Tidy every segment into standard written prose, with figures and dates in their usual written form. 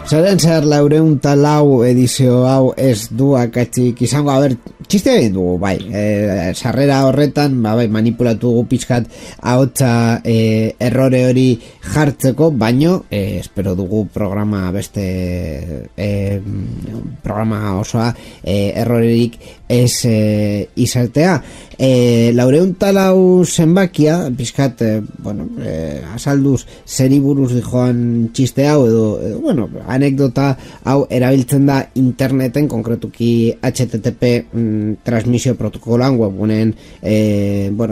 Zeren zer 404 edizio hau ez du akatsik izango, txiste egin dugu, bai, sarrera horretan, bai, manipulatu dugu pixkat ahotsa errore hori jartzeko, baino, espero dugu programa beste programa osoa errorerik ez izatea. 404 zenbakia, pixkat, azalduz zeri buruz dijoan txiste hau, edo anekdota hau erabiltzen da interneten, konkretuki HTTP transmisio protokoloan, webguneen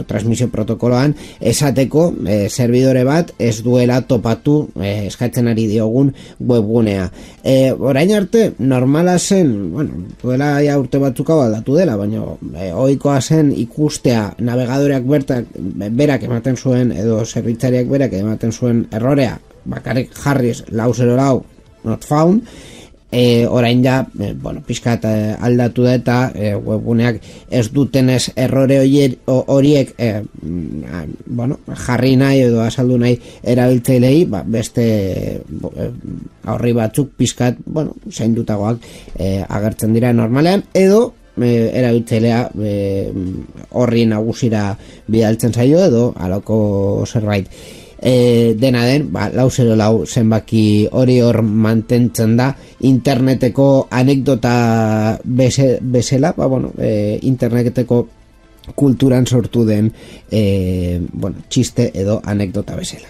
transmisio protokoloan, esateko servidore bat ez duela topatu eskatzen ari diogun webgunea. Orain arte, normala zen, duela ja urte batzuk hau aldatu dela, baina ohikoa zen ikustea navegadoreak berak ematen zuen, edo zerbitzariak berak ematen zuen errorea, bakarrik jarriz 404 not found, orain ja, pixkat aldatu da eta webguneak ez dutenez errore horiek jarri nahi edo azaldu nahi erabiltzailei, beste aurri batzuk pixkat, zaindutagoak agertzen dira normalean, edo erabiltzailea horri nagusira bidaltzen zaio edo aloko zerbait. Dena den, 404 zenbaki hori hor mantentzen da interneteko anekdota bezala, interneteko kulturan sortu den txiste edo anekdota bezala.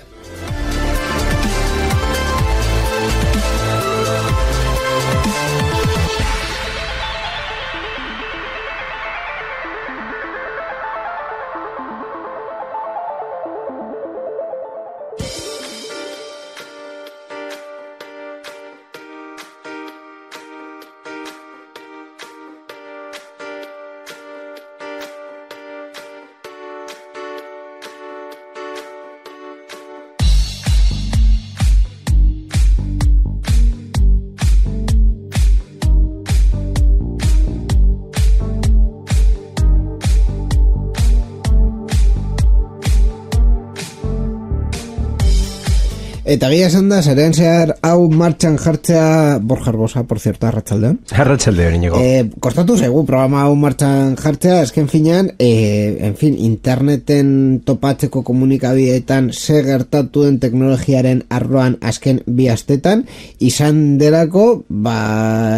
Eta gira esan da, zeren zehar hau martxan jartzea Borja Arbosa, por cierto, arratsaldeon. Arratsaldeon, Iñigo. Kostatu zaigu programa hau martxan jartzea, esken finean, interneten topatzeko komunikabideetan ze gertatu den teknologiaren arloan azken bi astetan, izan delako,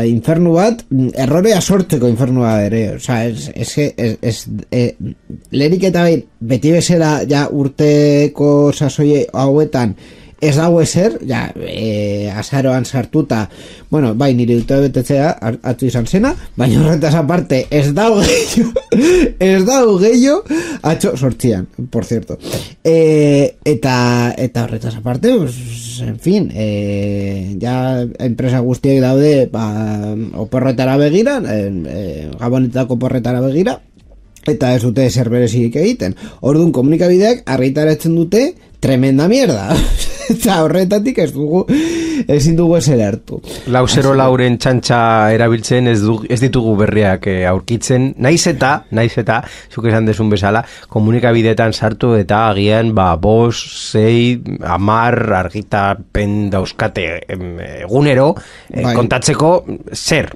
infernu bat, errorea sortzeko infernua ere, oza, lehenik eta beti bezala ja urteko sasoi hauetan, ez dago ezer, azaroan sartuta, bai, nire dute betetzea atzu izan zena, baina horretaz aparte, ez dago gehiago, atxo sortzian, por cierto. Eta horretaz aparte, en fin, enpresa guztiek daude, oporretara begira, gabonetako oporretara begira, eta ez dute zer berezik egiten. Orduan komunikabideak argitaratzen dute tremenda mierda. Eta horretatik ezin dugu ezer hartu. 404 txantxa erabiltzen ez ditugu berriak aurkitzen, naiz eta, zuk esan desun bezala, komunikabideetan sartu eta agian 5, 6, 10 argitapen dauzkate egunero kontatzeko zer.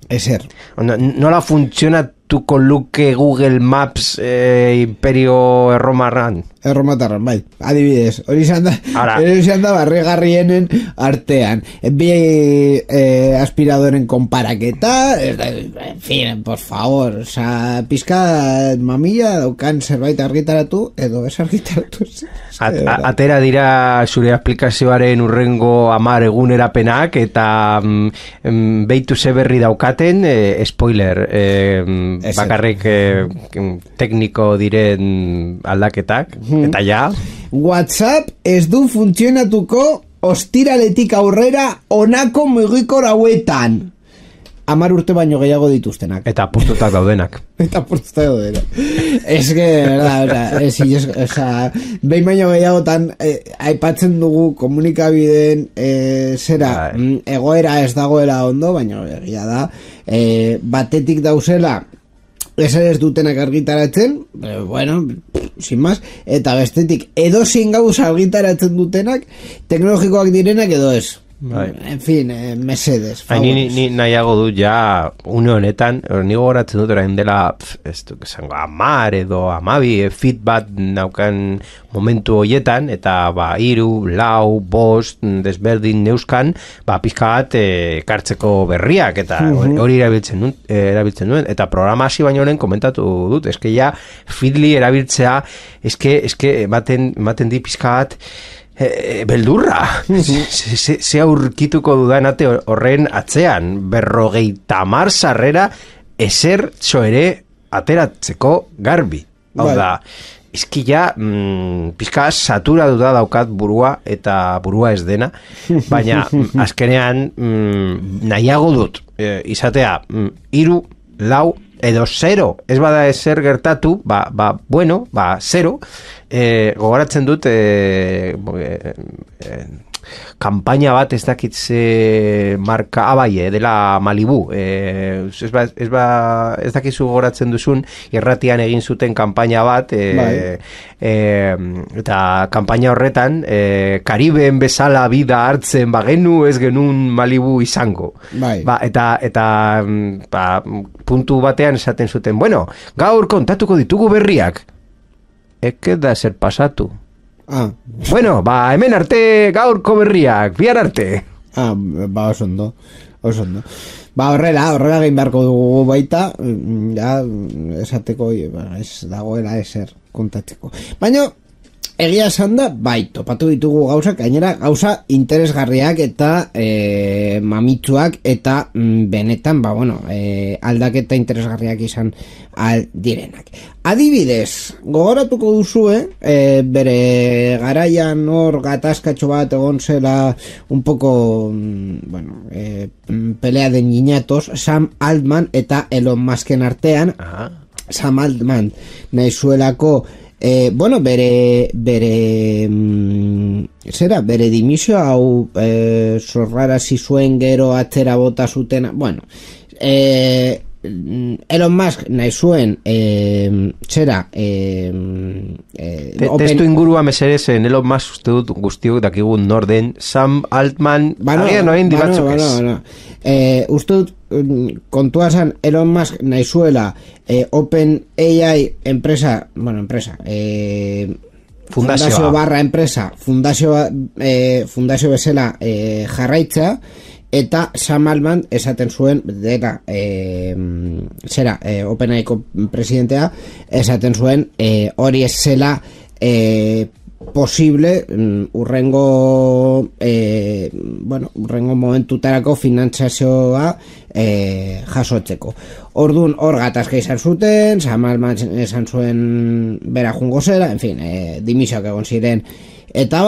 Ezer. Nola funtzionatuko luke Google Maps imperio erromarran? Erromatarran, bai. Adibidez, hori izan da barregarrienen artean. Bi aspiradoren konparaketa, en fin, por favor, pizka mamilla daukan zerbait argitaratu, edo ez argitaratu. Atera dira zure aplikazioaren urrengo 10 egunerapenak, eta beitu ze berri daukaten, spoiler, bakarrik tekniko diren aldaketak, eta ja. WhatsApp ez du funtzionatuko ostiraletik aurrera honako mugikor hauetan. 10 urte baino gehiago dituztenak. Eta apurtutak daudenak. Ez que, behin baino gehiagotan aipatzen dugu komunikabideen egoera ez dagoela ondo, baina egia da, batetik dauzela ez dutenak argitaratzen, bueno, sin más, eta bestetik edozin gauza argitaratzen dutenak, teknologikoak direnak edo ez. En fin, mesedes. Ni nahiago dut ja une honetan, ni gogoratzen dut orain dela ez duk esango 10 edo 12 feedback naukan momentu hoietan, eta 3, 4, 5 desberdin neuskan, pizka bat kartzeko berriak, eta hori erabiltzen duen, eta programa hasi baino lehen komentatu dut, eske ja Feedly erabiltzea, eske ematen di pizka bat beldurra. Se aurkituko dudanate horren atzean 50 sarrera ezer ere ateratzeko garbi. Hau da, eski ja pizka saturatu daukat burua, eta burua ez dena, baina azkenean nahiago dut izatea 3, 4 edo 0, ez bada ezer gertatu, bueno, 0, gogoratzen dut kampaina bat ez dakitze marka dela Malibu, ez dakizu gogoratzen duzun, irratian egin zuten kampaina bat, eta kampaina horretan Karibeen bezala bida hartzen bagenu ez genuen Malibu izango. Eta puntu batean esaten zuten, bueno, gaur kontatuko ditugu berriak. Eke da zer pasatu. Bueno, hemen arte gaurko berriak, bihar arte. Oso ondo. Horrela egin beharko dugu baita, ja, esateko, ez dagoela ezer kontatzeko. Baina, egia esan da, topatu ditugu gauzak, gainera gauza interesgarriak eta mamitsuak, eta benetan, aldaketa interesgarriak izan direnak. Adibidez, gogoratuko duzue, bere garaian hor gatazkatxo bat egon zela un poco, pelea de niñatos, Sam Altman eta Elon Musken artean. Sam Altman nahi zuelako bere dimisio hau zorrarazi zuen, gero atzera bota zuten, Elon Musk nahi zuen testu ingurua meserezen Elon Musk uste dut guztiok dakigun norden, Sam Altman uste dut kontua zan Elon Musk nahi zuela OpenAI fundazio barra enpresa fundazio bezala jarraitza, eta Sam Altman esaten zuen dela OpenAIko presidentea esaten zuen hori ez zela posible urrengo momentutarako finantzazioa jasotzeko. Orduan hor gatazka izan zuten, Sam Altman esan zuen bera jungo zera, en fin, dimisioak egon ziren, eta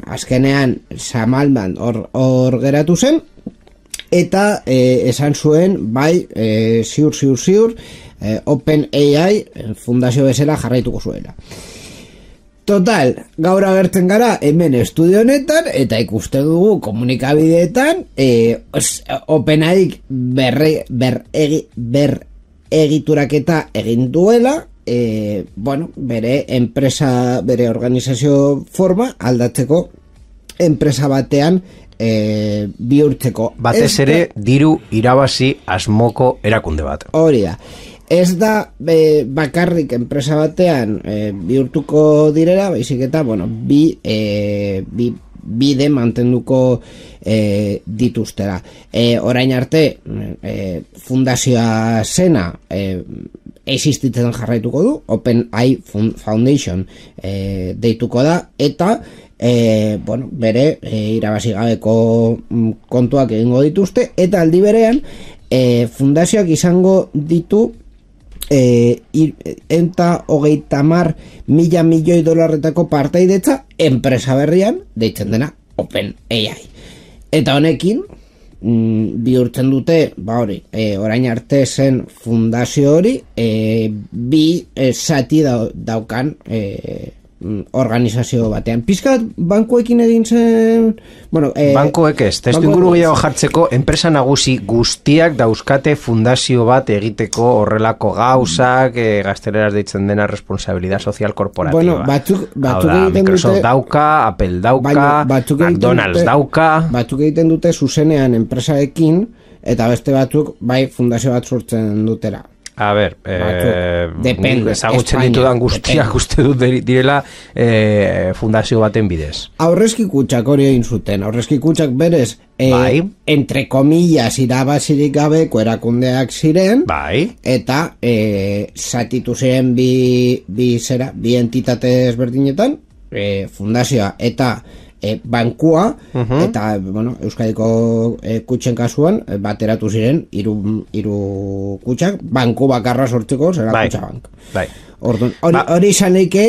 azkenean Sam Altman hor geratu zen, eta esan zuen ziur OpenAI fundazio bezala jarraituko zuela. Total, gaur agertzen gara hemen estudio honetan, eta ikusten dugu komunikabideetan OpenAI egituraketa egin duela, bere enpresa, bere organizazio forma aldatzeko enpresa batean bihurtzeko. Batez ere diru irabazi asmoko erakunde bat. Hori da. Ez da bakarrik enpresa batean bihurtuko direla, baizik eta bide mantenduko dituztera. Orain arte fundazioa zena existitzen jarraituko du, OpenAI Foundation deituko da, eta bere irabazi gabeko kontuak egingo dituzte, eta aldi berean fundazioak izango ditu $130 milioi partaidetza enpresa berrian deitzen dena OpenAI. Eta honekin bihurtzen dute, hori, orain arte zen fundazio hori, bi zati daukan organizazio batean. Pizkat bankuekin egin zen... Bueno, bankuek ez, testuinguru gehiago jartzeko, enpresa nagusi guztiak dauzkate fundazio bat egiteko horrelako gauzak, gazteleraz deitzen dena responsabilidad social korporatiba. Bueno, batzuk Microsoft dute, dauka, Apple dauka, McDonald's dauka... Batzuk egiten dute zuzenean enpresaekin, eta beste batzuk bai fundazio bat sortzen dutera. A ber, ezagutzen ditudan guztiak uste dut direla fundazio baten bidez. Aurrezki kutxak hori egin zuten. Aurrezki kutxak berez, bai. Entre comillas, irabazirik gabeko erakundeak ziren, bai. Eta zatitu ziren bi entitate ezberdinetan, fundazioa eta bankua, eta bueno, Euskadiko kutxen kasuan bateratu ziren hiru kutxak, banku bakarra sortzeko zera kutxabank. Bai. Hori izan leike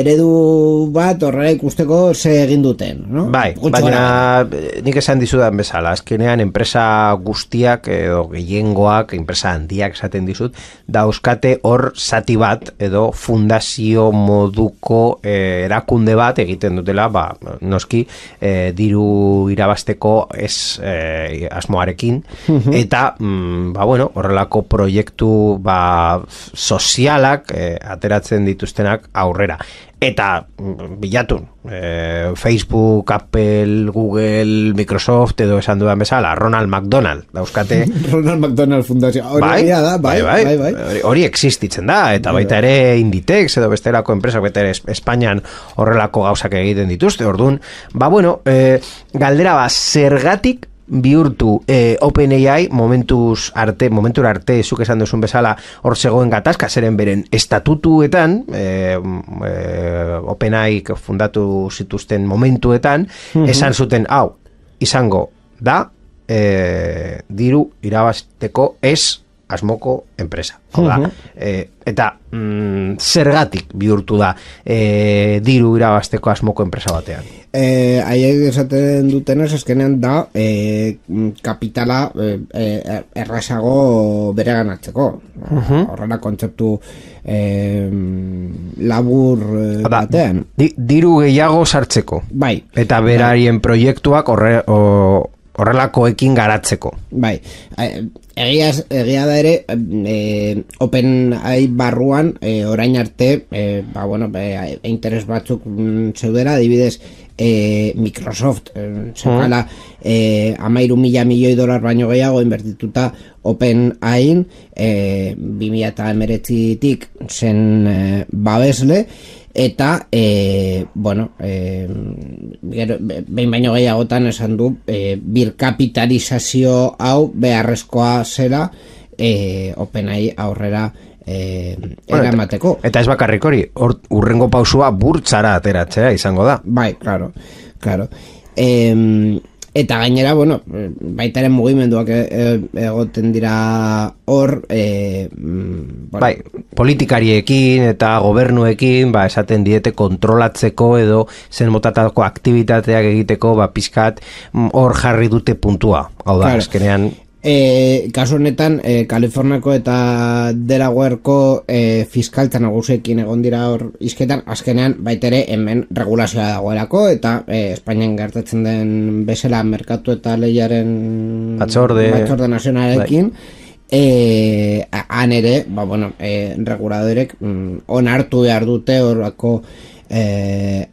eredu bat horrela ikusteko ze egin duten, no? Bai, baina nik esan dizudan bezala, azkenean enpresa guztiak edo gehiengoak, enpresa handiak esaten dizut, dauzkate hor zati bat edo fundazio moduko erakunde bat egiten dutela, noski diru irabasteko ez asmoarekin, eta bueno, horrelako proiektu sozialak ateratzen dituztenak aurrera. Eta bilatun, Facebook, Apple, Google, Microsoft edo esan dudan bezala, Ronald McDonald dauzkate. Ronald McDonald fundazio. Hori existitzen da, eta baita ere Inditex edo bestelako enpresak, baita ere Espainian horrelako gauzak egiten dituzte. Orduan, galdera zergatik bihurtu OpenAI momentura arte zuk esan duzun bezala hor zegoen gatazka zeren beren estatutuetan OpenAI fundatu zituzten momentuetan esan zuten hau izango da diru irabazteko ez asmoko enpresa. Eta zergatik bihurtu da diru irabazteko asmoko enpresa batean? Haiek esaten dutenez azkenean da kapitala errazago bereganatzeko. Horrela kontzeptu labur batean. Diru gehiago sartzeko. Bai. Eta berarien proiektuak horrelakoekin garatzeko. Bai. Egia da ere OpenAI barruan orain arte interes batzuk zeudera, adibidez Microsoft zekala $13 milioi baino gehiago inbertituta OpenAI 2019tik zen babesle, eta behin baino gehiagotan esan du birkapitalizazio hau beharrezkoa zela OpenAI aurrera eramateko. Eta ez bakarrik hori, urrengo pausua burtsara ateratzea izango da. Bai, claro. Eta gainera, baitaren mugimenduak egoten dira hor, bai, politikariekin eta gobernuekin, esaten diete kontrolatzeko edo zen motatako aktivitateak egiteko, pizkat hor jarri dute puntua. Hau da, azkenean... kasu honetan, Kaliforniako eta Delawareko fiskaltza nagusiekin egon dira hor izketan, azkenean baitere hemen regulazioa dagoelako, eta Espainian gertatzen den bezala merkatu eta lehiaren batzorde nazionalekin, han ere, reguladorek onartu behar dute horrako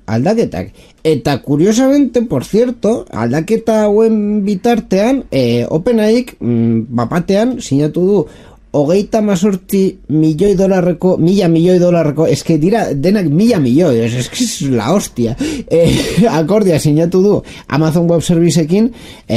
aldaketak. Eta curiosamente, por cierto, aldaketa hauen bitartean OpenAIk bapatean sinatu du $38 milioi, $1.000 milioi, eske dira denak $1.000 milioi, es la hostia. Akordia sinatu du Amazon Web Serviceekin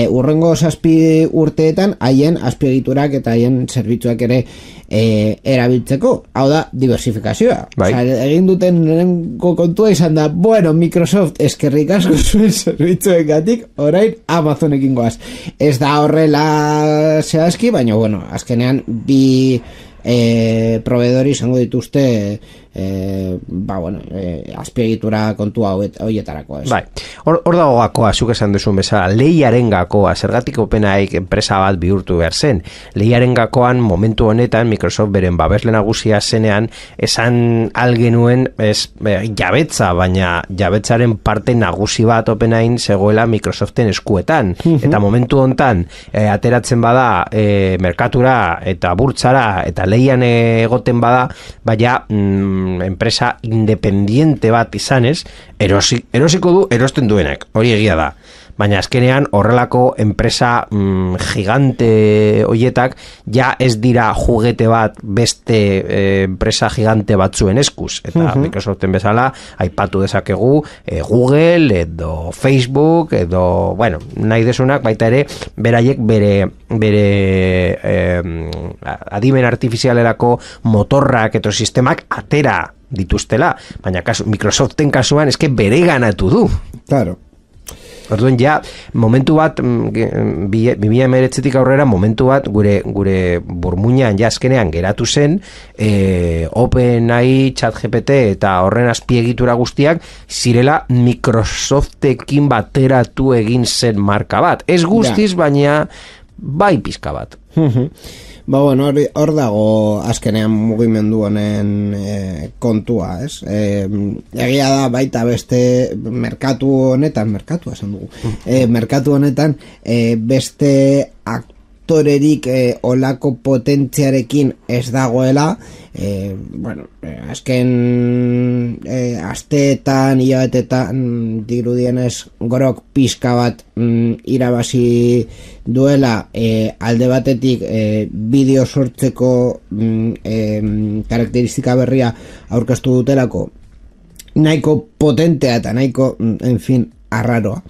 urrengo 7 urteetan haien azpiegiturak eta haien zerbitzuak ere erabiltzeko. Hau da, diversifikazioa. Bai. Egin duten lehenko kontua izan da, Microsoft eskerrik asko zuen zerbitzuengatik, orain Amazonekin goaz. Ez da horrela zehazki, baina azkenean bi proveedori izango dituzte azpiegitura kontu hoietarako, ez? Bai, hor dago gakoa, zuk esan duzun bezala, lehiaren gakoa, zergatik OpenAI enpresa bat bihurtu behar zen. Lehiaren gakoan, momentu honetan, Microsoft beren babesle nagusia zenean, esan algenuen, jabetza, baina jabetzaren parte nagusi bat OpenAI zegoela Microsoften eskuetan. Eta momentu honetan, ateratzen bada merkatura eta burtsara eta lehian egoten bada, baina enpresa independiente bat izanez, erosiko du erosten duenak, hori egia da. Baina azkenean horrelako enpresa gigante hoietak ja ez dira juguete bat beste enpresa gigante batzuen eskuz. Eta Microsoften bezala aipatu dezakegu Google edo Facebook edo, bueno, nahi desunak baita ere beraiek bere adimen artifizialerako motorrak eta sistemak atera dituztela, baina Microsoften kasuan eske bere ganatu du. Claro. Orduan ja, momentu bat 2019tik aurrera momentu bat gure burmuinan ja azkenean geratu zen OpenAI, ChatGPT eta horren azpiegitura guztiak zirela Microsoftekin bateratu egin zen marka bat. Ez guztiz, baina bai pizka bat. Hor dago azkenean mugimendu honen kontua, ez? Egia da baita beste merkatu honetan beste aktorerik olako potentziarekin ez dagoela, azken asteetan, hilabetetan dirudienez Grok pizka bat irabazi duela, alde batetik bideo sortzeko karakteristika berria aurkeztu dutelako, nahiko potentea eta nahiko, en fin, arraroa.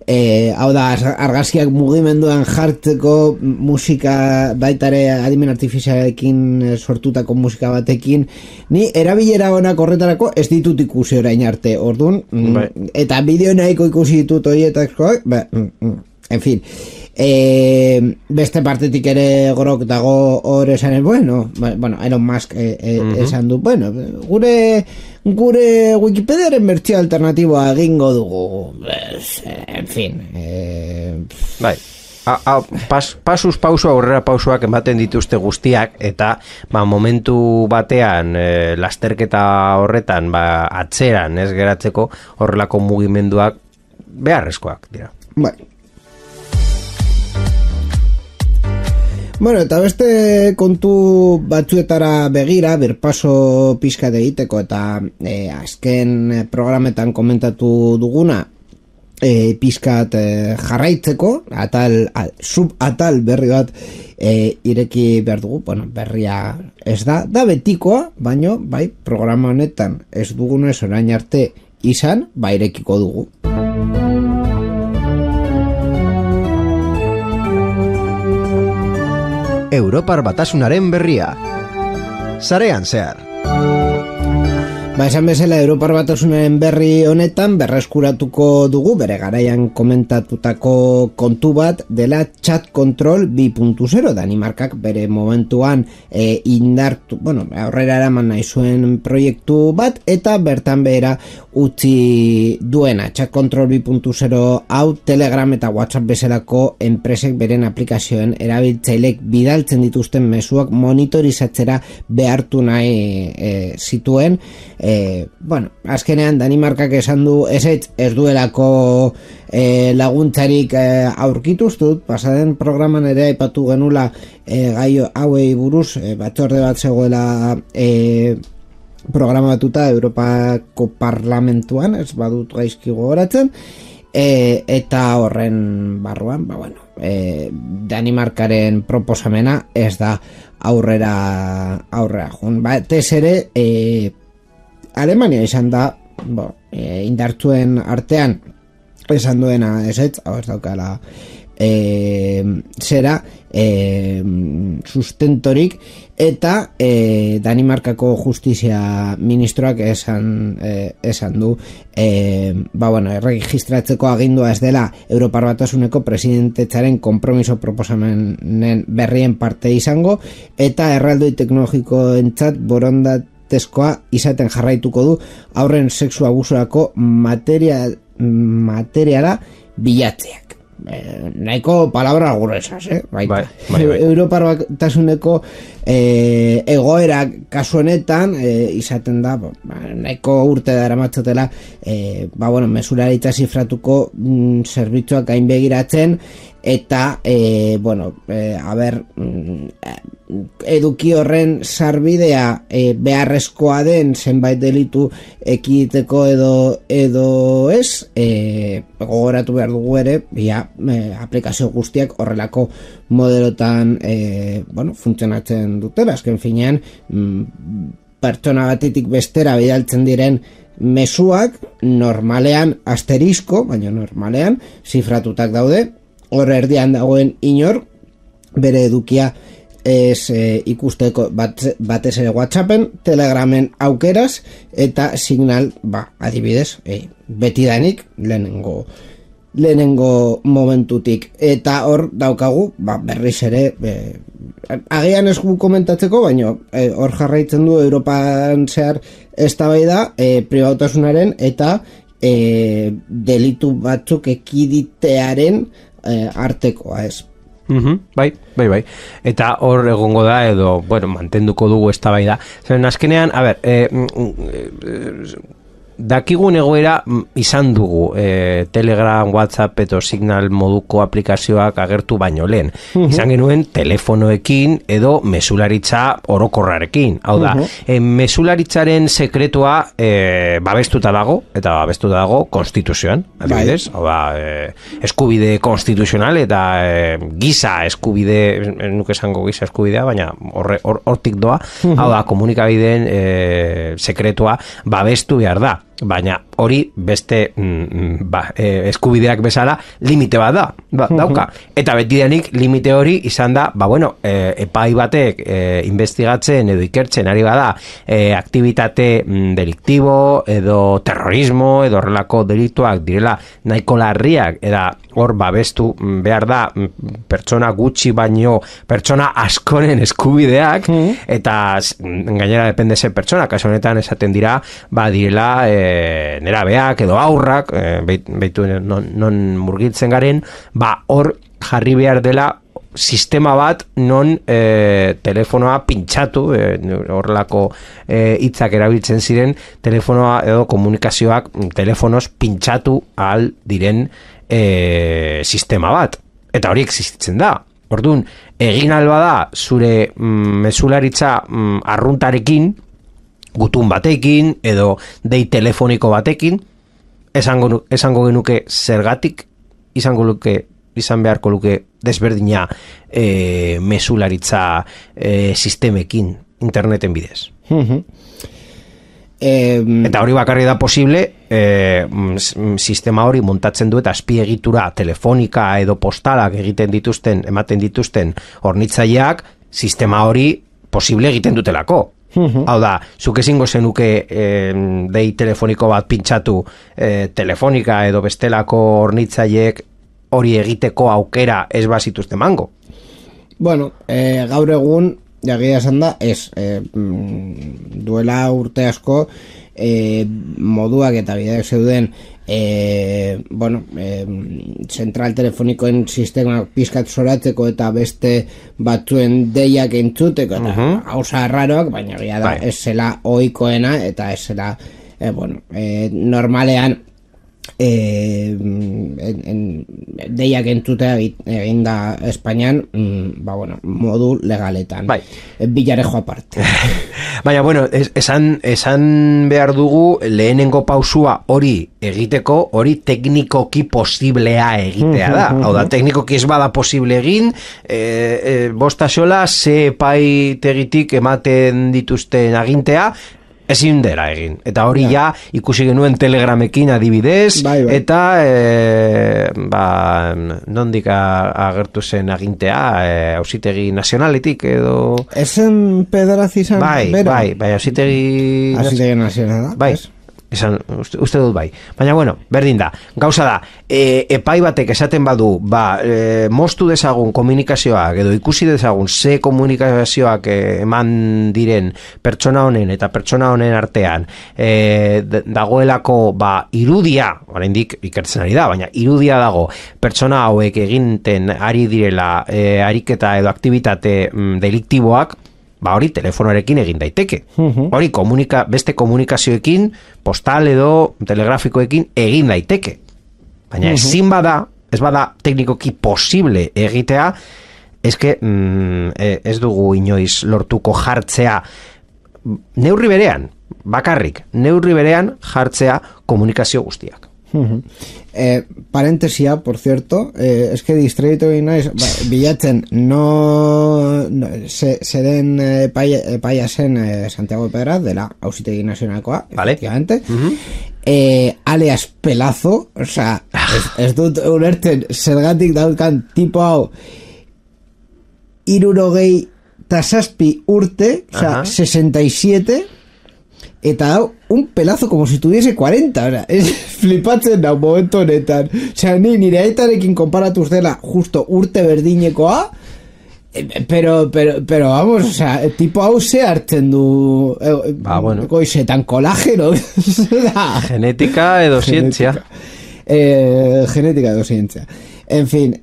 Hau da, argazkiak mugimenduan jartzeko musika, baitare adimen artifizialekin sortutako musika batekin, ni erabilera honak horretarako ez ditut ikusi orain arte, orduan, eta bideo nahiko ikusi ditut horietako, en fin, beste partetik ere Grok dago hor esanen, Elon Musk esan du, gure Wikipediaren bertsio alternatiboa egingo dugu, en fin, pausu aurrera pausuak ematen dituzte guztiak, eta momentu batean lasterketa horretan atzeran ez geratzeko horrelako mugimenduak beharrezkoak dira. Bai. Eta beste kontu batzuetara begira, birpaso pixkat egiteko eta azken programetan komentatu duguna pixkat jarraitzeko, subatal berri bat ireki behar dugu, berria ez da betikoa, baino, bai, programa honetan ez dugunez orain arte izan, irekiko dugu. Europar Batasunaren berria. Sarean zehar. Esan bezala Europar Batasunaren berri honetan berreskuratuko dugu bere garaian komentatutako kontu bat dela Chat Control 2.0. Danimarkak bere momentuan indartu, aurrera eraman nahi zuen proiektu bat eta bertan behera utzi duena. Chat Control 2.0 hau Telegram eta WhatsApp bezalako enpresek beren aplikazioen erabiltzailek bidaltzen dituzten mezuak monitorizatzera behartu nahi zituen. Azkenean Danimarkak esan du ez duelako laguntzarik aurkituztut, pasaden programan ere aipatu genula gai hauei buruz, batzorde bat zegoela programatuta Europako Parlamentuan, ez badut gaizki gogoratzen, eta horren barruan, Danimarkaren proposamena ez da aurrera joan. Batez ere, Alemania izan da indartzuen artean esan duena ez daukala zera sustentorik, eta Danimarkako justizia ministroak esan du erregistratzeko agindua ez dela Europar Batasuneko presidentetzaren konpromiso proposamenen berrien parte izango, eta erraldoi teknologikoentzat tezkoa izaten jarraituko du haurren sexu abusurako materiala bilatzeak. Nahiko palabra gruesas, baita. Bai. Europar Batasuneko egoera kasu honetan izaten da nahiko urte daramatzatela mesularitza zifratuko zerbitzuak gainbegiratzen eta eduki horren sarbidea beharrezkoa den zenbait delitu ekiditeko edo ez, gogoratu behar dugu ere aplikazio guztiak horrelako modelotan funtzionatzen dutela, azken finean pertsona batetik bestera bidaltzen diren mezuak normalean asterisko, baina normalean zifratutak daude, hor erdian dagoen inor bere edukia ez ikusteko batez ere WhatsAppen, Telegramen aukeraz eta Signal, adibidez, betidanik lehenengo momentutik, eta hor daukagu berriz ere agian ez gu komentatzeko, baina hor jarraitzen du Europan zehar eztabaida pribautasunaren eta delitu batzuk ekiditearen artekoa, ez. Bai. Eta hor egongo da edo, mantenduko dugu eztabaida. Zeren azkenean, dakigun egoera izan dugu Telegram, WhatsApp edo Signal moduko aplikazioak agertu baino lehen. Izan genuen telefonoekin edo mesularitza orokorrarekin. Hau da, mesularitzaren sekretua babestuta dago, eta babestuta dago konstituzioan, adibidez. Hau da, eskubide konstituzional eta giza eskubide, nuke esango giza eskubidea, baina hortik doa. Hau da, komunikabideen sekretua babestu behar da. Baina hori beste eskubideak bezala limite bat dauka. Eta betidanik limite hori izan da, epai batek investigatzen edo ikertzen ari bada aktivitate deliktibo edo terrorismo edo horrelako delituak direla nahiko larriak, eta hor babestu behar da pertsona gutxi baino pertsona askoren eskubideak, eta gainera depende ze pertsona, kasu honetan esaten dira direla nerabeak edo aurrak, beitu non murgiltzen garen, hor jarri behar dela sistema bat non telefonoa pintxatu, horrelako hitzak erabiltzen ziren, telefonoa edo komunikazioak telefonoz pintxatu ahal diren sistema bat. Eta hori existitzen da. Orduan, egin alba da zure mesularitza arruntarekin, gutun batekin edo dei telefoniko batekin, esango genuke zergatik izan beharko luke desberdina mesularitza sistemekin interneten bidez. Eta hori bakarri da posible sistema hori montatzen du eta azpiegitura telefonika edo postalak ematen dituzten hornitzaileak sistema hori posible egiten dutelako. Hau da, zuk ezingo zenuke dei telefoniko bat pintxatu telefonika edo bestelako hornitzaileek hori egiteko aukera ez bazituzte mango. Gaur egun jagia esan da, duela urte asko moduak eta bideak zeuden zentral telefonikoen sistema pizkat zoratzeko eta beste batzuen deiak entzuteko eta hauza arraroak, baina gira da ez zela ohikoena eta ez zela normalean deiak entzutea egin da Espainian modu legaletan, bilarejo aparte. Baina, esan behar dugu lehenengo pausua hori egiteko, hori teknikoki posiblea egitea da. Hau da, teknikoki ez bada posible egin, bostasola ze epaitegitik ematen dituzten agintea, ezin dela egin. Eta hori ja ikusi genuen Telegramekin adibidez, eta nondik agertu zen agintea, auzitegi nazionaletik edo... Ezen pedarazi izan bera? Bai, auzitegi nazionala. Bai, uste dut bai. Baina bueno, berdin da. Gauza da, epai batek esaten badu, moztu dezagun komunikazioak edo ikusi dezagun ze komunikazioak eman diren pertsona honen eta pertsona honen artean dagoelako irudia, oraindik ikertzen ari da, baina irudia dago pertsona hauek eginten ari direla ariketa edo aktibitate deliktiboak, hori telefonoarekin egin daiteke. Hori beste komunikazioekin, postal edo telegrafikoekin egin daiteke. Baina ezin ez bada teknikoki posible egitea, eske ez dugu inoiz lortuko jartzea neurri berean, bakarrik, neurri berean jartzea komunikazio guztiak. Parentesia, por cierto, es que distraitu naiz bilatzen zeren epaia zen Santiago de Pedraz dela Auzitegi Nazionalkoa, efectivamente. Alias Pelazo, o sea, ez dut ulertzen zergatik daukan tipo hau 67 urte, o sea, 67, eta dau un pelazo como si tuviese 40, o sea, es flipatzen da momentu honetan, o sea, nire aitarekin konparatuz dela justo urte berdinekoa, pero vamos, o sea, tipo hau ze hartzen du bueno. Goizetan kolageno genética edo zientzia genética edo zientzia, en fin,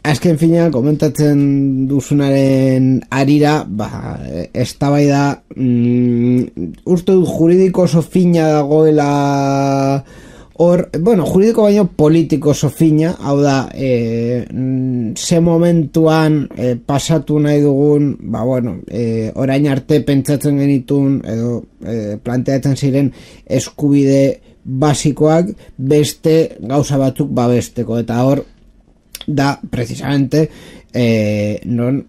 azken finean komentatzen duzunaren arira, eztabaida uste dut juridiko oso fina dagoela hor, bueno, juridiko baino politiko oso fina, hau da ze momentuan pasatu nahi dugun, bueno, orain arte pentsatzen genitun edo planteatzen ziren eskubide basikoak beste gauza batzuk babesteko, eta hor da precisamente non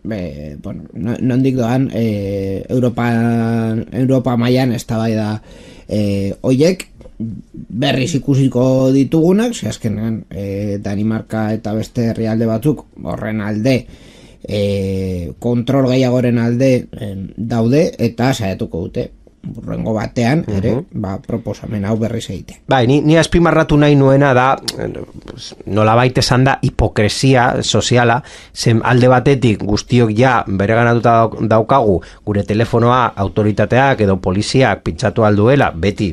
dik doan Europa mailan eztabaida hoiek berriz ikusiko ditugunak, ze azkenean Danimarka eta beste herrialde batzuk horren alde kontrol gehiagoren alde daude, eta saiatuko dute burrengo batean ere proposamen hau berriz egite. Ni azpimarratu nahi nuena da nolabait esan da hipokresia soziala, zen alde batetik guztiok ja bereganatuta daukagu gure telefonoa autoritateak edo poliziak pintzatu alduela, beti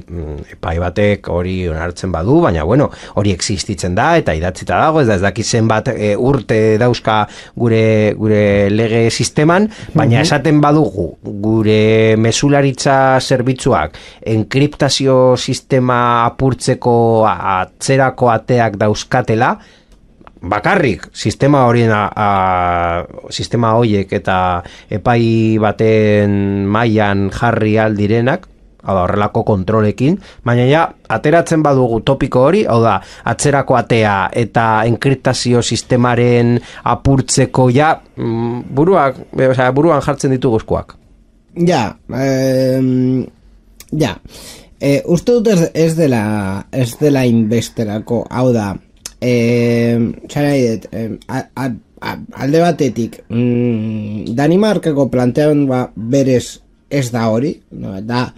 epai batek hori onartzen badu, baina bueno, hori existitzen da eta idatzita dago, ez dakit zenbat urte dauzka gure lege sisteman, baina esaten badugu gure mesularitza zerbitzuak enkriptazio sistema apurtzeko atzerako ateak dauzkatela, bakarrik sistema horiek eta epai baten mailan jarri aldirenak, hau da horrelako kontrolekin, baina ja ateratzen badugu topiko hori, hau da atzerako atea eta enkriptazio sistemaren apurtzeko ja buruan jartzen ditugu eskuak. Uste dut ez dela inbesterako, hau da alde batetik Danimarkako plantean berez ez da hori, da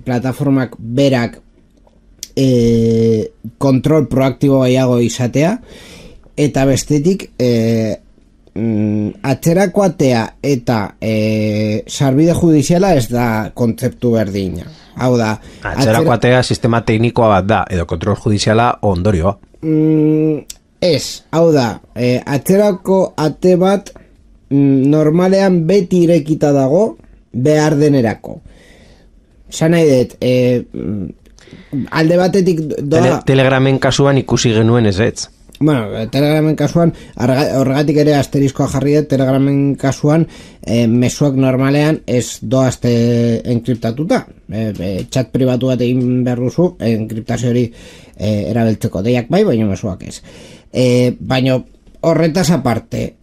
plataformak berak kontrol proaktibo gehiago izatea, eta bestetik atzerako atea eta sarbide judiziala ez da kontzeptu berdina. Hau da, atzerako atea sistema teknikoa bat da, edo kontrol judiziala ondorioa. Ez, hau da, atzerako ate bat normalean beti irekita dago behar denerako. Zan nahi dut, alde batetik Telegramen kasuan ikusi genuen ez. Bueno, Telegramen kasuan, horregatik ere asteriskoa jarri dut, Telegramen kasuan mezuak normalean ez doazte enkriptatuta. Chat pribatu bat egin behar duzu, enkriptazio hori erabiltzeko deiak bai, baina mezuak ez. Baina horretaz aparte,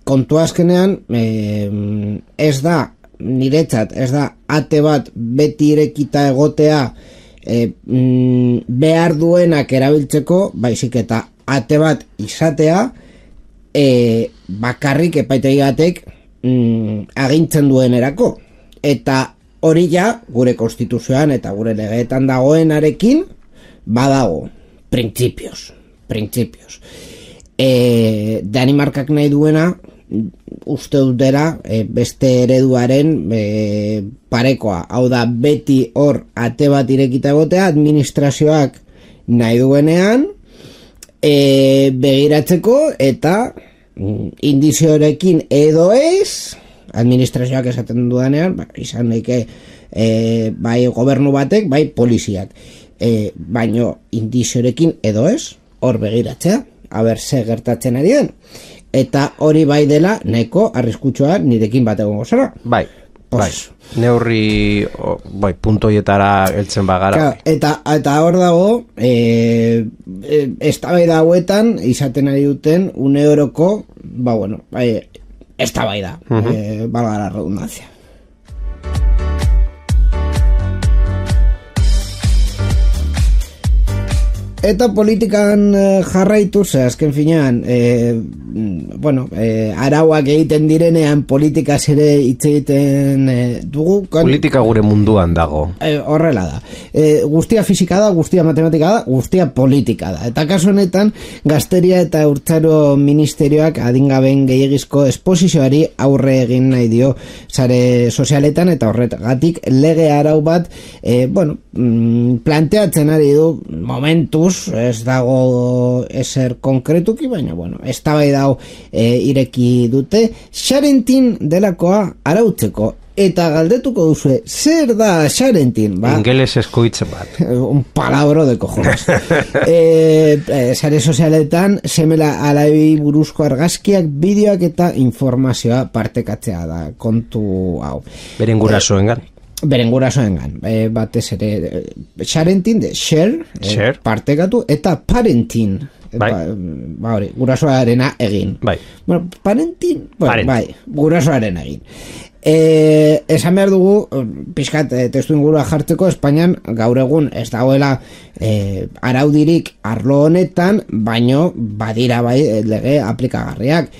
kontu azkenean ez da, niretzat, ez da ate bat beti irekita egotea behar duenak erabiltzeko, baizik eta ate bat izatea bakarrik epaitegi batek agintzen duenerako, eta hori ja gure konstituzioan eta gure legeetan dagoenarekin badago printzipioz. Danimarkak nahi duena uste dut dela beste ereduaren parekoa, hau da beti hor ate bat irekita egotea administrazioak nahi duenean begiratzeko eta indiziorekin edo ez administrazioak esaten dudanean izan daike bai gobernu batek, bai poliziak baino indiziorekin edo ez hor begiratzea, haber ze gertatzen ari den eta hori bai dela nahiko arriskutsua nirekin bat egongo zara. Bai. Neurri puntoietara heltzen bagara. Eta hor dago eztabaida hauetan izaten ari duten une oroko eztabaida, valga la redundancia. Eta politikan jarraituz, azken finean, arauak egiten direnean politikaz ere hitz egiten dugu. Politika gure munduan dago. Horrela da. Guztia fisika da, guztia matematika da, guztia politika da. Eta kasu honetan, Gazteria eta Urtzaro ministerioak adingabeen gehiagizko esposizioari aurre egin nahi dio sare sozialetan eta horregatik lege arau bat, planteatzen ari du momentuz, ez dago ezer konkretuki, baina eztabaida hau ireki dute Xarentin delakoa arautzeko eta galdetuko duzu zer da Xarentin? Ingeles eskoitze bat. Un palabro de cojones. Sare sozialetan semela alabi buruzko argazkiak, bideoak eta informazioa partekatzea da kontu hau. Beren gurasoengan. Batez ere Xarentin de share, partekatu eta parentin hori, gurasoarena egin parentin, gurasoaren egin esan behar dugu pixkat testu ingurua jartzeko Espainian gaur egun ez dagoela araudirik arlo honetan, baino badira lege aplikagarriak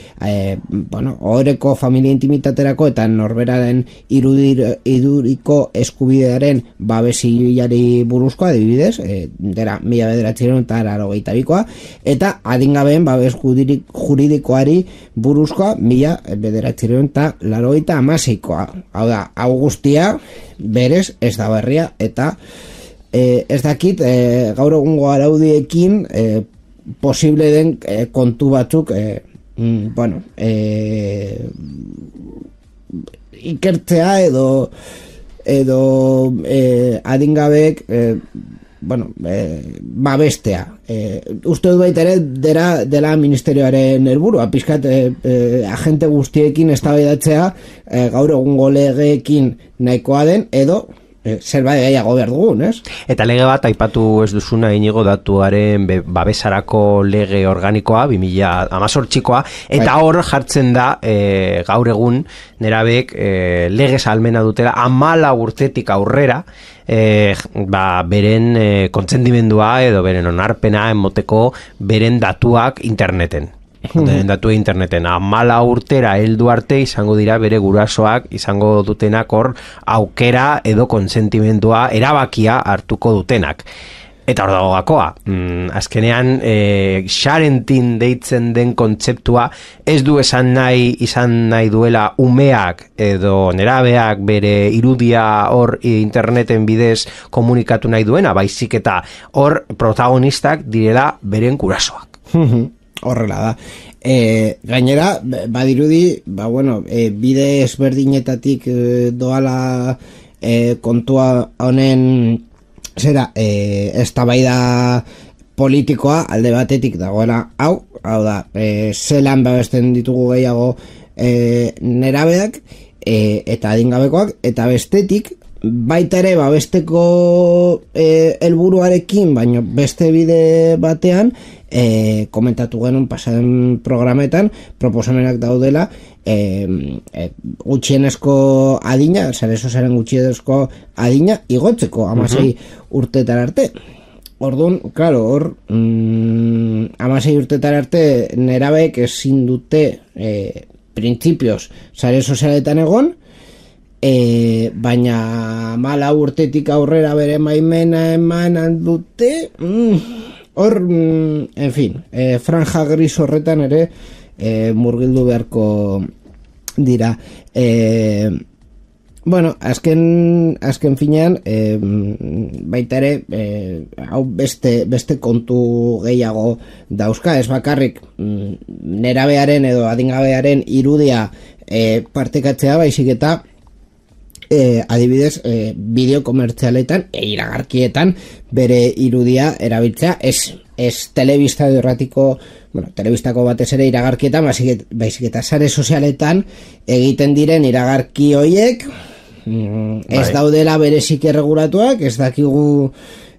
ohoreko familia intimitaterako eta norberaren iduriko eskubidearen babesiari buruzkoa adibidez, dera 1982koa eta adingabeen babes juridikoari buruzkoa 1986koa. Hau da, hau guztia berez ez da berria eta ez dakit gaur egungo araudiekin posible den kontu batzuk ikertzea edo adingabeek babestea. Uste dut baita ere dela ministerioaren helburua, pizkat agente guztiekin eztabaidatzea gaur egungo legeekin nahikoa den edo zerbait gehiago behar dugun, ez? Eta lege bat aipatu ez duzuna Inigo datuaren babesarako lege organikoa 2018koa eta hor jartzen da gaur egun nerabek legez almena dutela 14 urtetik aurrera beren kontsentimendua edo beren onarpena emoteko beren datuak interneten. Datu interneten 14 urtera heldu arte izango dira bere gurasoak izango dutenak hor aukera edo konsentimendua erabakia hartuko dutenak. Eta hor dago gakoa, azkenean Xarentin deitzen den kontzeptua ez du izan nahi duela umeak edo nerabeak bere irudia hor interneten bidez komunikatu nahi duena, baizik eta hor protagonistak direla beren gurasoak. Horrela da. Gainera, badirudi, bide ezberdinetatik doala kontua honen eztabaida politikoa alde batetik dagoela hau da, zelan babesten ditugu gehiago nerabeak eta adingabekoak, eta bestetik baita ere babesteko helburuarekin, baino beste bide batean komentatu genuen pasaden programetan proposamenak daudela gutxienezko adina, sare sozialen gutxienezko adina igotzeko 16 urtetara arte. Orduan, claro, hor 16 urtetara arte nerabeek ezin dute printzipioz sare sozialetan egon baina 14 urtetik aurrera bere maimena eman dute, hor, en fin, franja gris horretan ere murgildu beharko dira. Bueno, azken finean, baita ere, hau beste kontu gehiago dauzka, ez bakarrik nerabearen edo adingabearen irudia partekatzea, baizik eta adibidez, bideo komertzialetan iragarkietan bere irudia erabiltzea, ez telebista erratiko, telebistako batez ere iragarkietan, baizik eta sare sozialetan egiten diren iragarki hoiek, ez daudela berezik erregulatuak, ez dakigu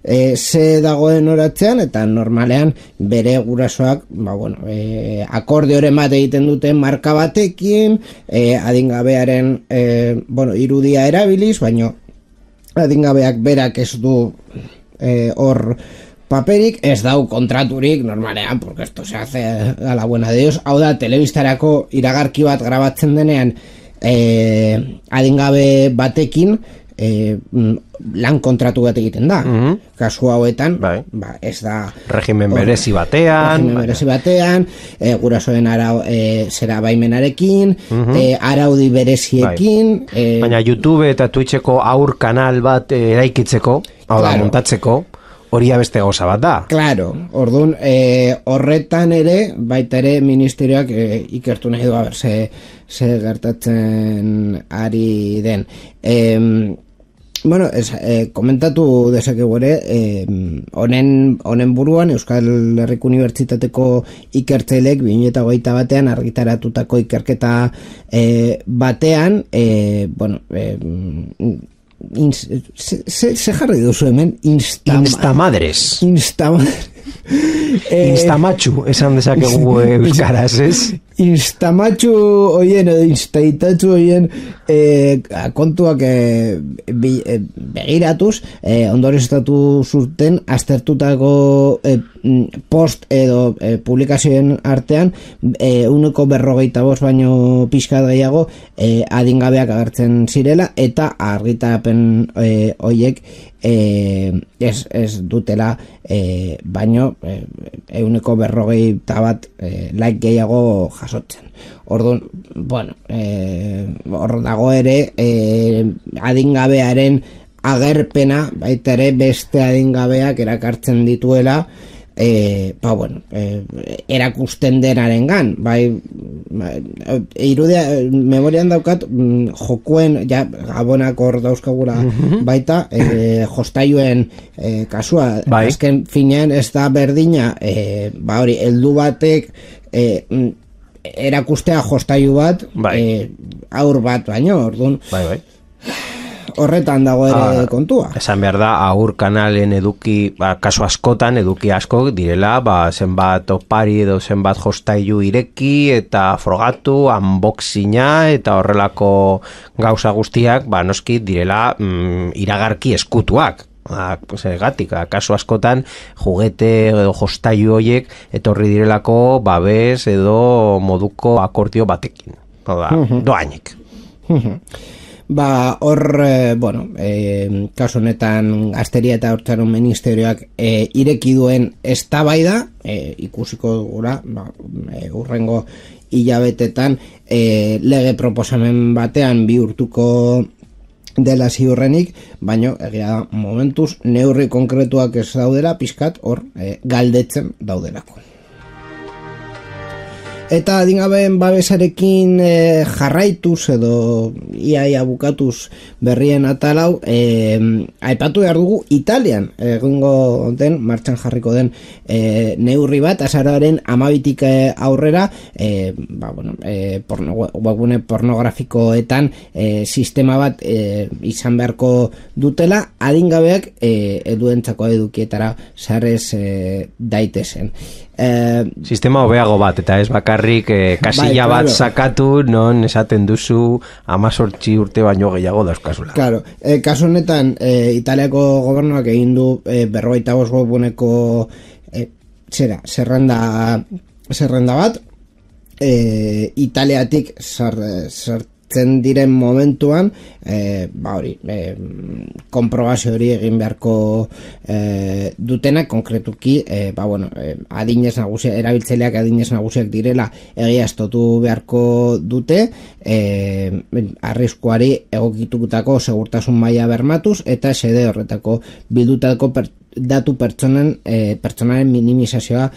ze dagoen oratzean, eta normalean bere gurasoak akordioren bat egiten duten marka batekin, adingabearen irudia erabiliz, baino adingabeak berak ez du hor paperik, ez dau kontraturik normalean, porque esto se hace a la buena de Dios. Hau da, telebistarako iragarki bat grabatzen denean adingabe batekin lan kontratu bat egiten da. Kasu hauetan, ez da regimen berezi batean, gurasoen zera baimenarekin, araudi bereziekin, baina YouTube eta Twitcheko aur kanal bat eraikitzeko, hau da, montatzeko, hori beste gauza bat da. Claro, orduan, horretan ere, baita ere ministerioak ikertu nahi du, ze gertatzen ari den. Komentatu dezakegu ere, honen buruan Euskal Herriko Unibertsitateko ikertzaileek 2021 argitaratutako ikerketa batean, se jarri duzu hemen Instamadres Instamatxu esan dezakegu euskaraz, ez? Instamatxu oien edo instaitatxu oien kontuak begiratuz, ondoreztatu zuten aztertutako post edo publikazioen artean 145 baino pixkat gehiago adingabeak agertzen zirela, eta argitapen hoiek ez dutela baino 141 like gehiago jasotzen. Orduan, hor dago ere adingabearen agerpena, baita ere beste adingabeak erakartzen dituela, erakusten denarengan, irudia memorian daukat, jokuen gabonak hor dauzkagula baita, jostailuen kasua, azken finean ez da berdina, hori, heldu batek erakustea jostailu bat, aur bat baino, orduan, horretan dago ere kontua. Esan behar da, aur kanalen eduki, kasu askotan, eduki asko direla, zenbat opari edo zenbat jostailu ireki eta frogatu, unboxinga eta horrelako gauza guztiak, noski direla iragarki eskutuak. Zergatik, kasu askotan juguete edo jostailu horiek etorri direlako babes edo moduko akordio batekin. Doainik. Hor, kasu honetan Gazteria eta Haurtzaron Ministerioak ireki duen eztabaida, ikusiko dugula, hurrengo hilabetetan lege proposamen batean bihurtuko dela ziurrenik, baino egia momentuz neurri konkretuak ez daudela, pixkat hor galdetzen daudelako. Eta adingabeen babesarekin jarraituz edo iaia bukatuz berrien atalau, aipatu behar dugu Italian egingo den, martxan jarriko den neurri bat, azaroaren 12tik aurrera, webgune pornografikoetan sistema bat izan beharko dutela, adingabeak eduentzako edukietara sarez daitezen. Sistema hobeago bat, eta ez bakarrik kasilla bat sakatu, non esaten duzu 18 urte baino gehiago dauzkazula. Claro, kasu honetan Italiako gobernuak egin du 45 webguneko zerrenda bat, Italiatik sartzen diren momentuan konprobazio hori egin beharko dutenak, konkretuki adinez nagusia, erabiltzaileak adinez nagusiak direla egiaztatu beharko dute, arriskuari egokitutako segurtasun maila bermatuz eta xede horretako bildutako datu pertsonaren minimizazioa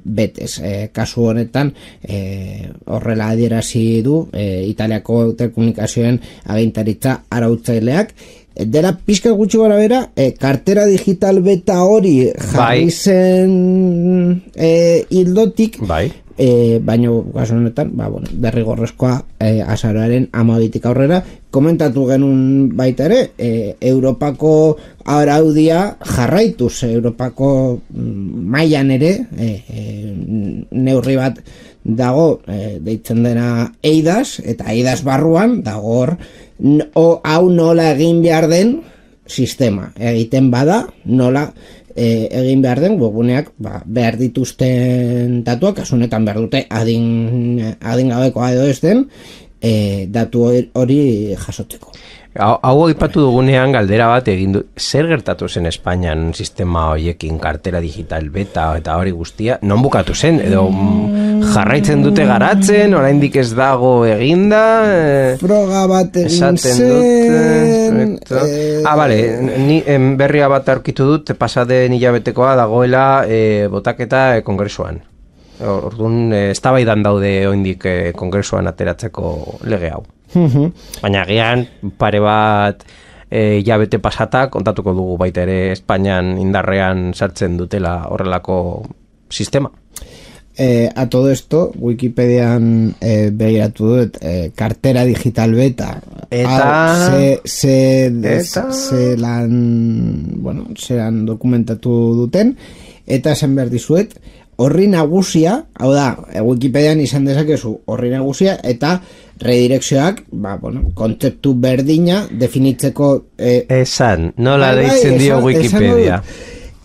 betez. Kasu honetan horrela adierazi du Italiako telekomunikazioen agintaritza arautzaileak. Dela pixka gutxi gara bera, kartera digital beta hori jarri zen hildotik, baino kasu honetan derrigorrezkoa azaroaren 12 aurrera. Komentatu genuen baita ere, Europako araudia jarraituz, Europako mailan ere neurri bat dago deitzen dena EIDAS, eta EIDAS barruan dago hor hau nola egin behar den sistema, egiten bada nola egin behar den webuneak behar dituzten datuak, kasunetan behar dute adingabekoa edo ez den datu hori jasotzeko. Hau aipatu dugunean galdera bat egin du, zer gertatu zen Espainian sistema horiekin, kartera digital beta eta hori guztia, non bukatu zen, edo jarraitzen dute garatzen, oraindik ez dago eginda, froga bat egin zen, bale, ni berria bat aurkitu dut, pasaden hilabetekoa dagoela botaketa kongresuan. Orduan, eztabaidan daude oraindik kongresuan ateratzeko lege hau. Baina agian pare bat hilabete pasata kontatuko dugu baita ere Espainian indarrean sartzen dutela horrelako sistema. A todo esto, Wikipedian begiratu dut kartera digital beta eta zelan dokumentatu duten, eta esan behar dizuet horri nagusia, hau da, Wikipedian izan dezakezu horri nagusia eta redirekzioak, kontzeptu berdina definitzeko esan, nola deitzen dio Wikipedia.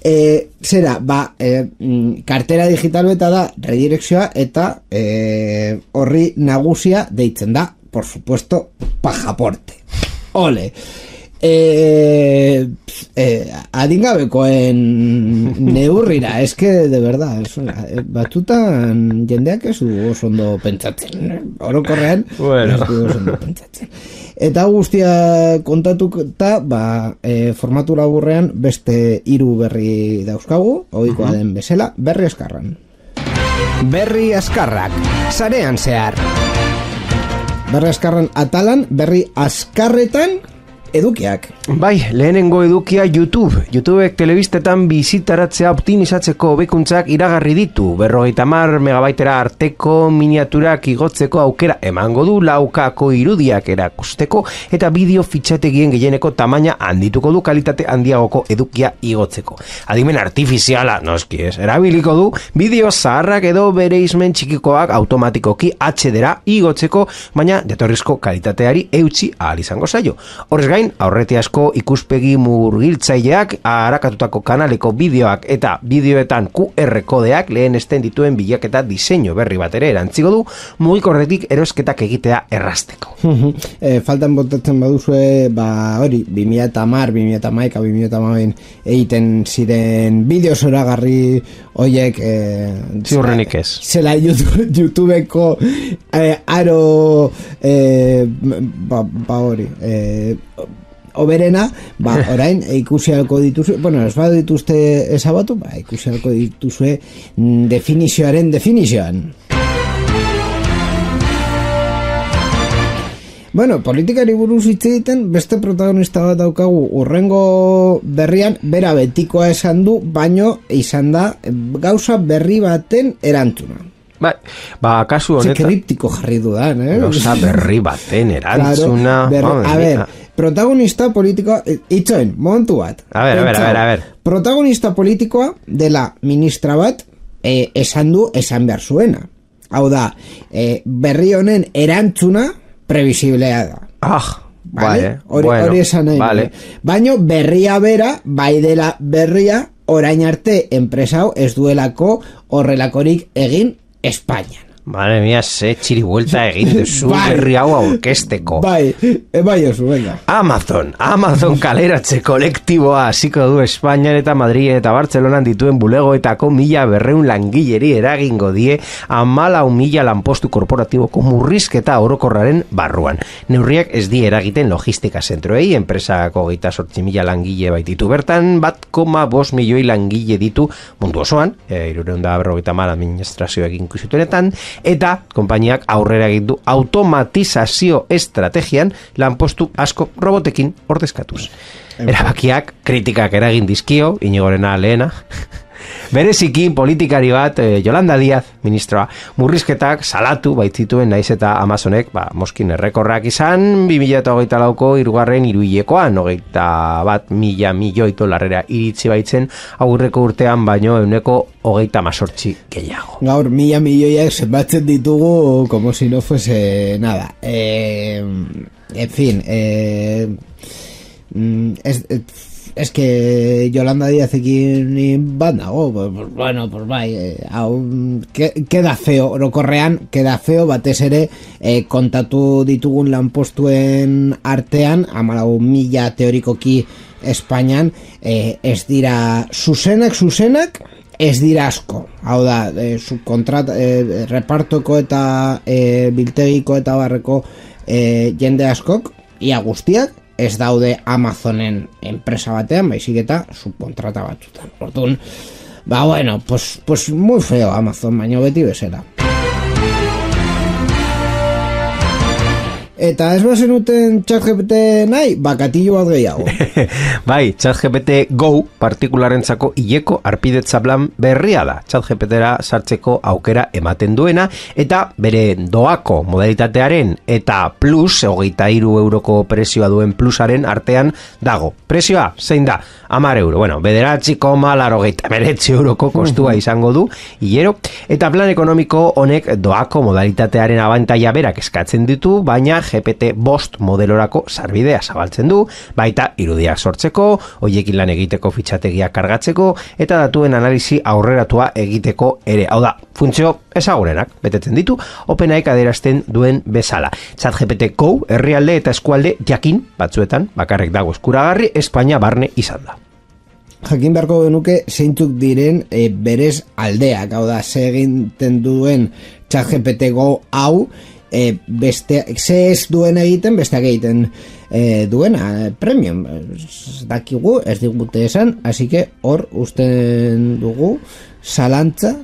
Zera, kartera digital beta da redirekzioa eta horri nagusia deitzen da, por supuesto, pasaporte. Ole! Adingabekoen neurrira, eske de verdad, batutan jendeak ez du oso ondo pentsatzen, orokorrean ez du oso ondo pentsatzen. Eta guztia kontatuta, formatu laburrean beste 3 berri dauzkagu, ohikoa den bezala, berri azkarran. Berri azkarrak, sarean zehar. Berri azkarran atalan, berri azkarretan edukiak. Bai, lehenengo edukia YouTubek telebistetan bizitaratzea optimizatzeko hobekuntzak iragarri ditu. 50 megabaitera arteko miniaturak igotzeko aukera emango du, 4K irudiak erakusteko eta bideo fitxategien gehieneko tamaina handituko du kalitate handiagoko edukia igotzeko. Adimen artifiziala, noski ez, erabiliko du bideo zaharrak edo bereizmen txikikoak automatikoki HD-ra igotzeko, baina jatorrizko kalitateari eutsi ahal izango zaio. Horrez gain, aurretiazko ikuspegi murgiltzaileak, arakatutako kanaleko bideoak eta bideoetan QR kodeak lehenesten dituen bilaketa diseinu berri bat ere erantzigo du, mugikorretik erosketak egitea errazteko. Faltan botatzen baduzue, hori, 2010, 2011 egiten ziren bideo zoragarri horiek ziurrenik ez. Zela YouTubeko aro hori oberena, orain ikusi halko dituzue, ez badu dituzte ezabatu, ikusi halko dituzue definizioaren definizioan. Politikari buruz hitz egiten, beste protagonista bat daukagu urrengo berrian, bera betikoa esan du, baino izan da gauza berri baten erantzuna. Kasu honetan kriptiko jarri dudan, gauza berri baten erantzuna. A ver, protagonista politikoa, itxoen, momentu bat. A ver. Protagonista politikoa dela ministra bat esan behar zuena. Hau da, berri honen erantzuna previsiblea da. Hori esan nahi. Baina berria bera, bai dela berria, orain arte enpresa hau ez duelako horrelakorik egin Espainian. Madre mía, ze txiri vuelta egin duzu berri hau aurkesteko. Bai oso, venga. Amazon kaleratze kolektiboa hasiko du Espainian eta Madrid eta Bartzelonan dituen bulegoetako 1.200 langileri eragingo die 14.000 lanpostu korporatiboko murrizketa orokorraren barruan. Neurriak ez die eragiten logistika zentroei, enpresako 28.000 langile baititu bertan, 1,5 milioi langile ditu mundu osoan, 350 administrazioekin inklusituenetan, eta konpainiak aurrera egin du automatizazio estrategian lanpostu asko robotekin ordezkatuz. Erabakiak kritikak eragin dizkio, Iñigorena lehena, bereziki politikari bat, Yolanda Díaz, ministroa, murrizketak salatu baitzituen naiz eta Amazonek, moskin errekorrak izan, 2024ko hirugarren hiruhilekoan, 21.000 milioi dolarrera iritsi baitzen, aurreko urtean baino 128 gehiago. Gaur 1.000 milioiak zenbatzen ditugu como si no fuese nada. En fin, es que Yolanda Díaz ekin bat nago, pues bai, queda feo, orokorrean, queda feo, batez ere, kontatu ditugun lanpostuen artean, 14.000 teorikoki Espainian, ez dira zuzenak, ez dira asko. Hau da, repartoko eta biltegiko eta barreko jende askok, ia guztiak, ez daude Amazonen enpresa batean, baizik eta subkontrata batzutan. Orduan, pues muy feo Amazon, baina beti bezala. Eta ez bazenuten ChatGPT nahi, bakatillo bat gehiago. Bai, ChatGPT Go partikularentzako hileko arpidetza plan berria da. ChatGPTera sartzeko aukera ematen duena, eta bere doako modalitatearen eta plus, 23 euroko prezioa duen plusaren artean dago. Prezioa, zein da? 10 euro. Bueno, 9,89 euroko kostua izango du, hilero, eta plan ekonomiko honek doako modalitatearen abantaila berak eskatzen ditu, baina GPT-5 modelorako sarbidea zabaltzen du, baita irudiak sortzeko, hoiekin lan egiteko fitxategiak kargatzeko, eta datuen analisi aurreratua egiteko ere. Hau da, funtzio ezagurenak betetzen ditu, OpenAIk adierazten duen bezala. ChatGPT Go herrialde eta eskualde jakin batzuetan, bakarrik dago eskuragarri, Espainia barne izan da. Jakin beharko genuke zeintzuk diren berez aldeak, hau da, ze egiten duen ChatGPT Go hau, ze ez duen egiten, besteak egiten duena, premium. Dakigu, ez digute esan, así que hor usten dugu zalantza.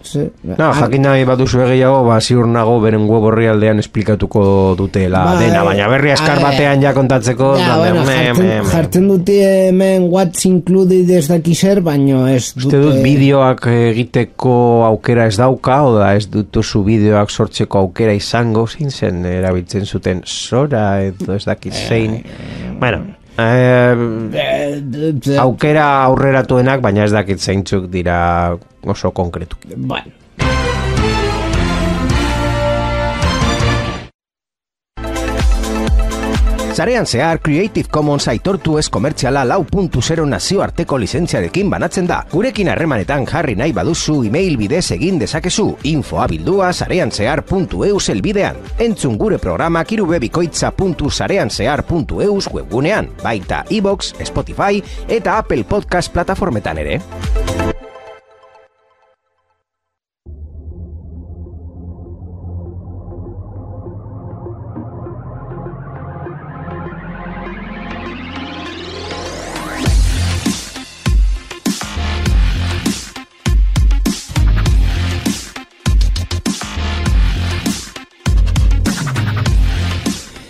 Jakin nahi baduzu gehiago, ziur nago beren web orrialdean esplikatuko dutela dena, baina berri askar batean ja kontatzeko. Jartzen dute hemen what's included ez dakizer, baina ez dute... Uste dut bideoak egiteko aukera ez dauka, oda ez dutuzu bideoak sortzeko aukera izango, zein zen erabiltzen zuten Sora edo ez dakizein. Bueno, aukera aurreratuenak, baina ez dakit zeintzuk dira oso konkretu. Bueno. Sarean zehar Creative Commons aitortu ez komertziala 4.0 nazioarteko lizentziarekin banatzen da. Gurekin harremanetan jarri nahi baduzu email bidez egin dezakezu. Infoabildua sareanzehar.eus elbidean. Entzun gure programak irubebikoitza.sareanzehar.eus webgunean, baita iVoox, Spotify eta Apple Podcast plataformetan ere.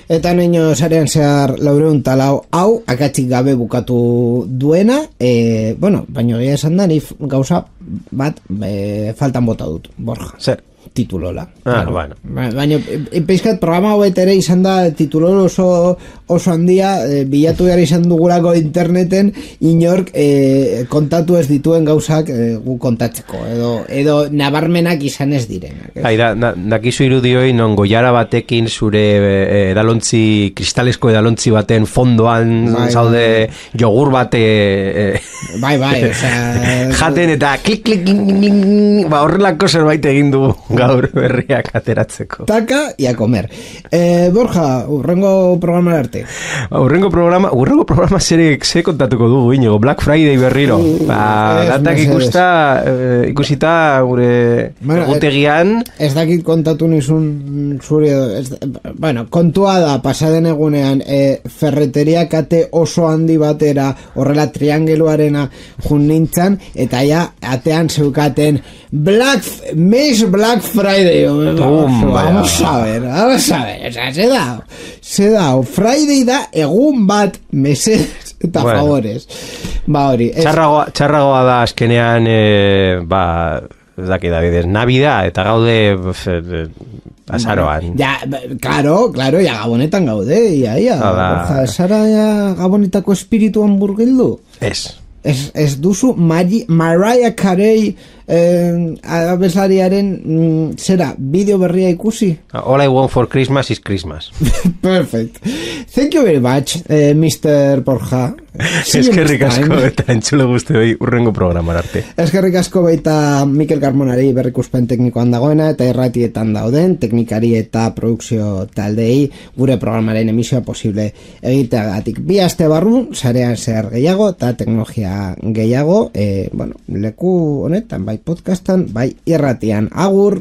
Eta neino sarean zehar 404 hau akatsik gabe bukatu duena, baina egia esan da, ni gauza bat faltan bota dut, Borja. Zer? Titulola. Bueno. Baina, peixkat programa hobet ere izan da titulolo oso handia, bilatu gara izan dugulako interneten, inork kontatu ez dituen gauzak gu kontatzeko, edo nabarmenak izan ez direnak. Dakizu irudioi non goiara batekin zure edalontzi, kristalesko edalontzi baten fondoan zaude jogur bate bai, jaten eta klik, horrelako zerbait egin du gaur berriak ateratzeko. Taka y a comer. Borja, urrengo programa arte. Urrengo programa ze kontatuko dugu, Iñigo, Black Friday berriro. Datak ikusita gure egutegian. Ez dakit kontatu nizun zure... Bueno, kontua da, pasaden egunean, ferreteria kate oso handi batera, horrela triangeluarena jun nintzen, eta ja, atean zeukaten Black Friday. Vamos a ver. O sea, se da. Friday da egun bat mesedez eta favores. Ba hori. Txarragoa da azkenean, ez dakit Davidez, Navidad eta gaude azaroan. Ja, claro, ja gabonetan gaude, ia. Zara gabonetako espiritu hamburgildu? Ez duzu Mariah Carey abeslariaren zera, bideo berria ikusi? All I want for Christmas is Christmas. Perfect. Thank you very much, Mr. Borja. Eskerrik asko eta entzule guztioi urrengo programar arte. Eskerrik asko baita Mikel Carmonari berrikuspen teknikoan dagoena eta erratietan dauden teknikari eta produkzio taldei gure programaren emisioa posible egiteagatik. Bi aste barru, sarean zer gehiago eta teknologia gehiago, leku honetan, bai podcastan, bai irratian. Agur!